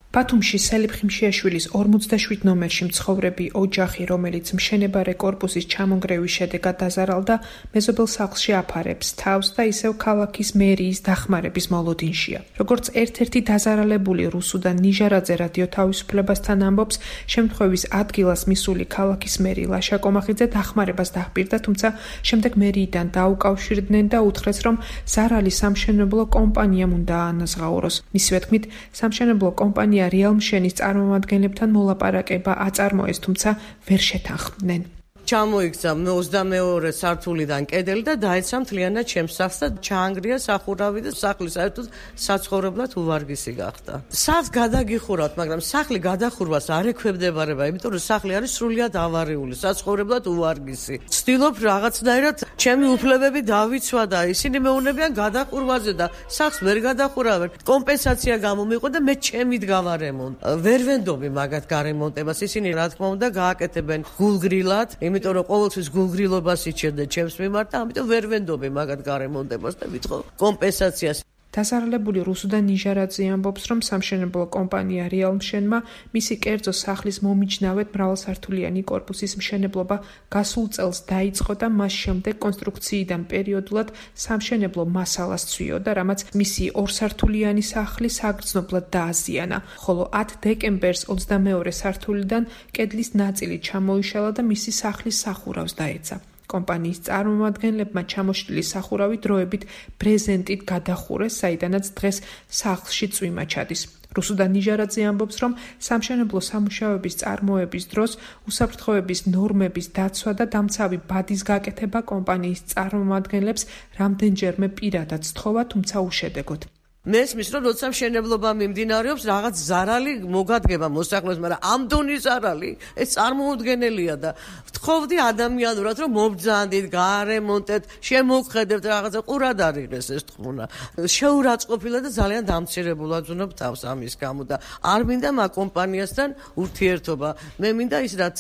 ბათუმში სელიფ ხიმშიაშვილის 47 ნომერში მცხოვრები ოჯახი, რომელიც მშენებარე კორპუსის ჩამონგრევის შედეგად დაზარალდა, მეზობელ სახლში აფარებს თავს და ისევ ქალაქის მერიის დახმარების მოლოდინშია. როგორც ერთ-ერთი დაზარალებული რუსუდან ნიჟარაძე რადიო თავისუფლებასთან ამბობს, შემთხვევის ადგილას მისული ქალაქის მერი ლაშა კომახიძე დახმარებას დაჰპირდა, თუმცა შემდეგ მერიიდან დაუკავშირდნენ და უთხრეს, რომ ზარალი სამშენებლო კომპანიამ უნდა აანაზღაუროს. მისივე თქმით, სამშენებლო კომპანია რეალმშენის წარმომადგენლებთან მოლაპარაკება აწარმოეს, თუმცა ვერ შეთანხმდნენ. ჩამოიქცა 22 სართულიდან კედელი და დაეცა მთლიანად ჩემს სახლს და ჩაანგრია სახურავი და სახლი საერთოდ საცხოვრებლად უვარგისი გახდა. სახლს გადაგიხურავთ, მაგრამ სახლი გადახურვას არ ექვემდებარება, იმიტომ რომ სახლი არის სრულიად ავარიული, საცხოვრებლად უვარგისი. ვცდილობ რაღაცნაირად ჩემი უფლებები დავიცვა და ისინი მეუბნებიან გადახურვაზე და სახლს ვერ გადახურავენ. კომპენსაცია გამომიყო და მე ჩემით გავარემონტ. ვერ ვენდობი მაგათ გარემონტებას, ისინი რა თქმა უნდა გააკეთებენ გულგრილად. იმიტომ რომ ყოველთვის გულგრილობას იჩენდა ჩემს მიმართ და ამიტომ ვერ ვენდობი მაგათ გარემონტებას და ვიტყო კომპენსაციას. დაზარალებული რუსუდან ნიჟარაძე ამბობს, რომ სამშენებლო კომპანია რეალმშენმა მისი კერძო სახლის მომიჯნავედ მრავალსართულიანი კორპუსის მშენებლობა გასულ წელს დაიწყო და მას შემდეგ კონსტრუქციიდან პერიოდულად სამშენებლო მასალას ცვიოდა, რამაც მისი ორსართულიანი სახლი საგრძნობლად დააზიანა, ხოლო 10 დეკემბერს 22 სართულიდან კედლის ნაწილი ჩამოიშალა და მისი სახლის სახურავს დაეცა. კომპანიის წარმომადგენლებმა ჩამოშლილი სახურავი დროებით ბრეზენტით გადახურეს, საიდანაც დღეს სახლში წვიმა ჩადის. რუსუდან ნიჟარაძე ამბობს, რომ სამშენებლო სამუშაოების წარმოების დროს უსაფრთხოების ნორმების დაცვა და დამცავი ბადის გაკეთება კომპანიის წარმომადგენლებს რამდენჯერმე პირადად სთხოვა, თუმცა უშედეგოდ. მესმის, რომ როცა მშენებლობა მიმდინარეობს, რაღაც ზარალი მოგადგება მოსახლეობას, მაგრამ ამ დონის ზარალი ეს წარმოუდგენელია და ვთხოვდი ადამიანურად, რომ მობრძანდით, გაარემონტეთ, შემოგხედებთ, რაღაცა ყურად არ იღეს ეს თქმუნა. შეურაცხყოფილა და ძალიან დამცირებულად ვზნობ თავს ამის გამო და არ მინდა მაგ კომპანიასთან ურთიერთობა. მე მინდა ის რაც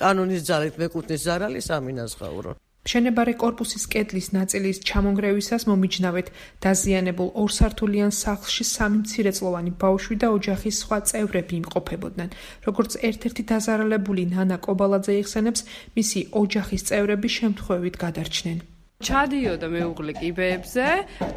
კანონის ძალით მეკუთვნის ზარალი სამინაზღაურო. მშენებარე კორპუსის კედლის ნაწილის ჩამონგრევისას მომიჯნავეთ დაზიანებულ ორსართულიან სახლში 3 მცირეწლოვანი ბავშვი და ოჯახის სხვა წევრები იმყოფებოდნენ. როგორც ერთ-ერთი დაზარალებული ნანა კობალაძე იხსენებს, მისი ოჯახის წევრები შემთხვევით გადარჩნენ. ჩადიოდა მეუღლე კიბეებზე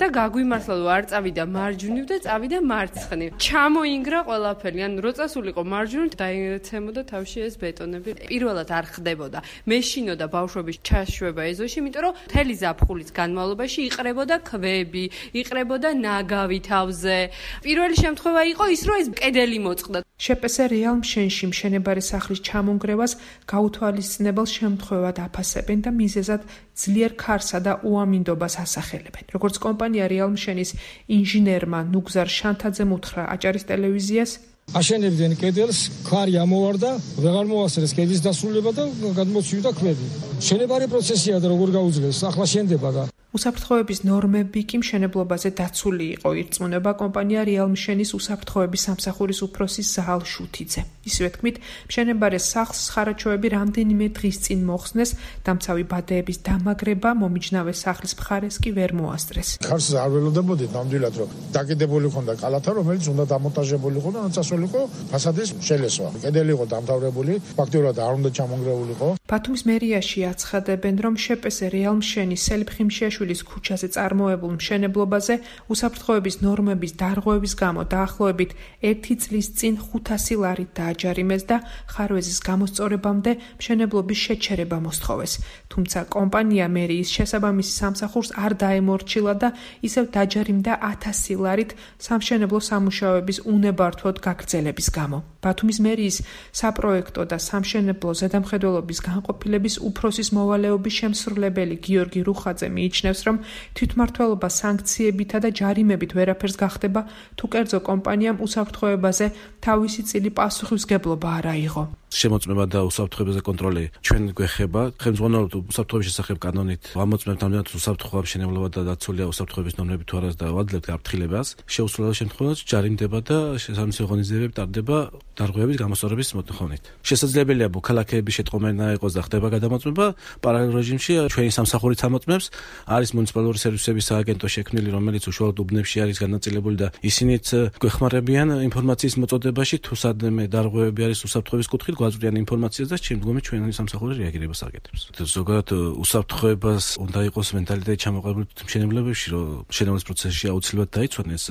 და გაგვიმართლა რომ არ წავიდა მარჯვნივ და წავიდა მარცხნივ. ჩამოინგრა ყველაფერი, ან რო წასულიყო მარჯვნივ დაეცემოდა თავში ეს ბეტონები. პირველად არ ხდებოდა. მეშინოდა ბავშვების ჩაშვება ეზოში, იმიტომ რომ მთელი ზაფხულის განმავლობაში იყრებოდა ქვები, იყრებოდა ნაგავი თავზე. პირველი შემთხვევა იყო ის, რომ ეს კედელი მოწყდა. შპს რეალმშენში მშენებარე სახლის ჩამონგრევას გაუთვალისწინებელ შემთხვევად აფასებენ და მიზეზად ძლიერ ქარსა და უამინდობას ასახელებენ. როგორც კომპანია რეალმშენის ინჟინერმა ნუგზარ შანთაძემ უთხრა აჭარის ტელევიზიას, აშენებდნენ კედელს, ქარი ამოვარდა, ვეღარ მოასწრეს კედლის დასრულება და გადმოცივდა ქვები. მშენებარე პროცესია და როგორ გაუძლეს, ახლა შენდება და უსაფრთხოების ნორმები კი მშენებლობაზე დაცული იყო, ირწმუნება კომპანია რეალმშენის უსაფრთხოების სამსახურის უფროსის ზაალ შუთიძე. ისევე თქმით, მშენებარე სახლს ხარაჩოები რამდენიმე დღის წინ მოხსნეს, დამცავი ბადეების დამაგრება მომიჯნავე სახლის მხარეს კი ვერ მოასწრეს. ქარს არ ველოდებოდით ნამდვილად, რომ დაკიდებული ხონდა კალათა, რომელიც უნდა დამონტაჟებული იყო და ნაცვლი იყო ფასადის შელესვა. კედელი იყო დამთავრებული, ფაქტიურად არ უნდა ჩამონგრეულიყო. ბათუმის მერიაში აცხადებენ, რომ შპს რეალმშენის სელიფ ხიმშიაშვილის ქუჩაზე წარმოებულ მშენებლობაზე უსაფრთხოების ნორმების დარღვევის გამო დაახლოებით 1 წლის წინ 500 ლარით დააჯარიმეს და ხარვეზის გამოსწორებამდე მშენებლობის შეჩერება მოსთხოვეს. თუმცა კომპანია მერიის შესაბამისი სამსახურს არ დაემორჩილა და ისევ დაჯარიმდა 1000 ლარით სამშენებლო სამუშაოების უნებართვოდ გაგრძელების გამო. ბათუმის მერიის საპროექტო და სამშენებლო ზედამხედველობის განყოფილების უფროსის მოვალეობის შემსრულებელი გიორგი რუხაძე მიიჩნევს, რომ თვითმმართველობა სანქციებითა და ჯარიმებით ვერაფერს გახდება, თუ კერძო კომპანიამ უსაფრთხოებაზე თავისი წილი პასუხისმგებლობა არ აიღო. შემოწმება და უსაფრთხოებაზე კონტროლი ჩვენ გვეხება. ხელმძღვანელობთ უსაფრთხოების შესახებ კანონით. ვამოწმებთ ამდენად უსაფრთხოა მშენებლობა და დაცულია უსაფრთხოების ნორმები თუ არას და ვაძლევთ გაფრთხილებას. შეუსრულებელ შემთხვევაში ჯარიმდება და შესაბამისი ღონისძიებები ტარდება დარღვევების გამოსწორების მოთხოვნით. შესაძლებელია მოქალაქეების შეტყობინა იყოს და ხდება გადამოწმება. პარალელურ რეჟიმში ჩვენი სამსახურით ამოწმებს. არის მუნიციპალური სერვისების სააგენტო შექმნილი, რომელიც უშუალოდ უბნებში არის განაწილებული და ისინიც გვეხმარებიან ინფორმაციის მოწოდება მოქმედებაში თუ სადმე დარღვევები არის უსაფრთხოების კუთხით გვაწვდიან ინფორმაციას და შემდგომი ჩვენი სამსახური რეაგირებას აკეთებს. ზოგადად უსაფრთხოებას უნდა იყოს მენტალიტეტი ჩამოყალიბებული მშენებლობებში, რომ მშენებლობის პროცესში აუცილებლად დაიცვანეს.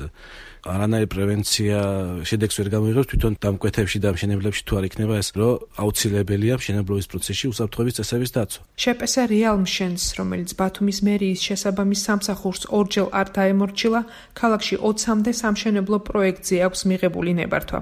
არანაირი პრევენცია შედეგს ვერ გამოიღებს თვითონ დამკვეთებში და მშენებლებში თუ არ იქნება ეს, რომ აუცილებელია მშენებლობის პროცესში უსაფრთხოების წესების დაცვა. შეპესა რეალ მშენს, რომელიც ბათუმის მერიის შესაბამის სამსახურს ორჯერ არ დაემორჩილა, ქალაქში 20-მდე სამშენებლო პროექტზე აქვს მიღებული ნებართვა.